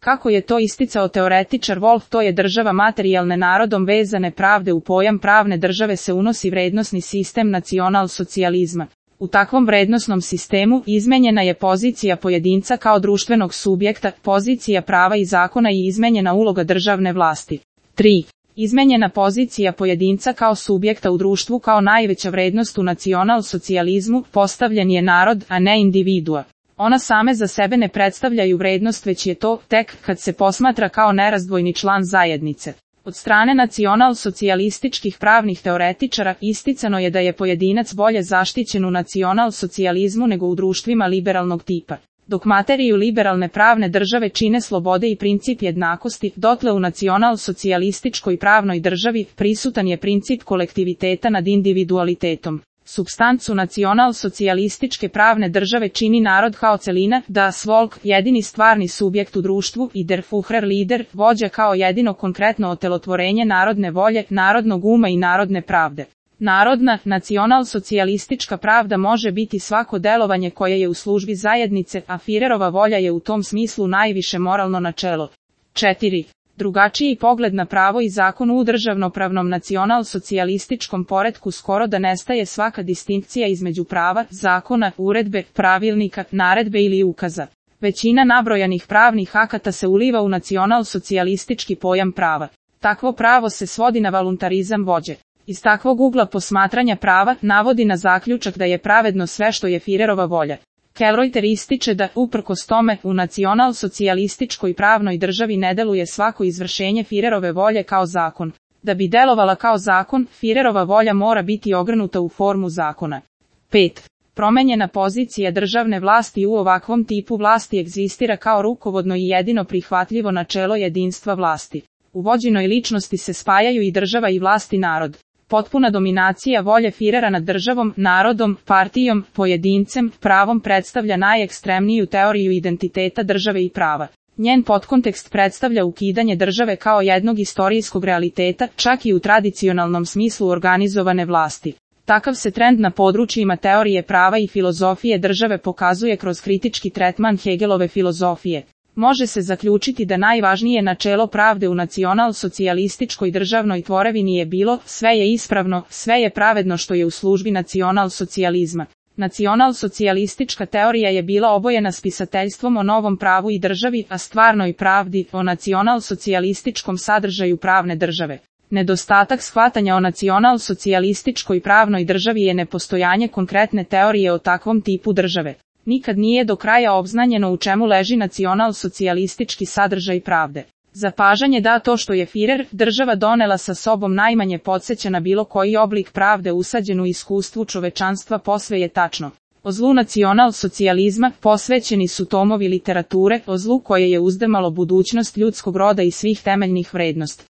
Kako je to isticao teoretičar Wolf, to je država materijalne narodom vezane pravde. U pojam pravne države se unosi vrednosni sistem nacionalsocijalizma. U takvom vrednosnom sistemu izmenjena je pozicija pojedinca kao društvenog subjekta, pozicija prava i zakona i izmenjena uloga državne vlasti. 3. Izmenjena pozicija pojedinca kao subjekta u društvu kao najveća vrednost u nacionalsocijalizmu, postavljen je narod, a ne individua. Ona same za sebe ne predstavljaju vrednost, već je to tek kad se posmatra kao nerazdvojni član zajednice. Od strane nacionalsocijalističkih pravnih teoretičara isticano je da je pojedinac bolje zaštićen u nacionalsocijalizmu nego u društvima liberalnog tipa. Dok materiju liberalne pravne države čine slobode i princip jednakosti, dotle u nacionalsocijalističkoj pravnoj državi prisutan je princip kolektiviteta nad individualitetom. Supstancu nacionalsocijalističke pravne države čini narod kao celina, das Volk, jedini stvarni subjekt u društvu, i der Führer lider, vođa kao jedino konkretno otelotvorenje narodne volje, narodnog uma i narodne pravde. Narodna, nacionalsocijalistička pravda može biti svako delovanje koje je u službi zajednice, a Führerova volja je u tom smislu najviše moralno načelo. 4. Drugačiji pogled na pravo i zakon u državnopravnom nacionalsocijalističkom poretku skoro da nestaje svaka distinkcija između prava, zakona, uredbe, pravilnika, naredbe ili ukaza. Većina nabrojanih pravnih akata se uliva u nacionalsocijalistički pojam prava. Takvo pravo se svodi na voluntarizam vođe. Iz takvog ugla posmatranja prava navodi na zaključak da je pravedno sve što je Führerova volja. Kelreuter ističe da, uprkos tome, u nacionalsocijalističkoj pravnoj državi ne deluje svako izvršenje Führerove volje kao zakon. Da bi delovala kao zakon, Führerova volja mora biti ogrnuta u formu zakona. 5. Promenjena pozicija državne vlasti u ovakvom tipu vlasti egzistira kao rukovodno i jedino prihvatljivo načelo jedinstva vlasti. U vođenoj ličnosti se spajaju i država i vlast i narod. Potpuna dominacija volje Führera nad državom, narodom, partijom, pojedincem, pravom predstavlja najekstremniju teoriju identiteta države i prava. Njen podkontekst predstavlja ukidanje države kao jednog istorijskog realiteta, čak i u tradicionalnom smislu organizovane vlasti. Takav se trend na područjima teorije prava i filozofije države pokazuje kroz kritički tretman Hegelove filozofije. Može se zaključiti da najvažnije načelo pravde u nacionalsocijalističkoj državnoj tvorevini je bilo, sve je ispravno, sve je pravedno što je u službi nacionalsocijalizma. Nacionalsocijalistička teorija je bila obojena spisateljstvom o novom pravu i državi, a stvarnoj pravdi, o nacionalsocijalističkom sadržaju pravne države. Nedostatak shvatanja o nacionalsocijalističkoj pravnoj državi je nepostojanje konkretne teorije o takvom tipu države. Nikad nije do kraja obznanjeno u čemu leži nacionalsocijalistički sadržaj pravde. Zapažanje da to što je Führer, država donela sa sobom najmanje podsjeća na bilo koji oblik pravde usađen u iskustvu čovečanstva posve je tačno. O zlu nacionalsocijalizma posvećeni su tomovi literature, o zlu koje je uzdrmalo budućnost ljudskog roda i svih temeljnih vrednosti.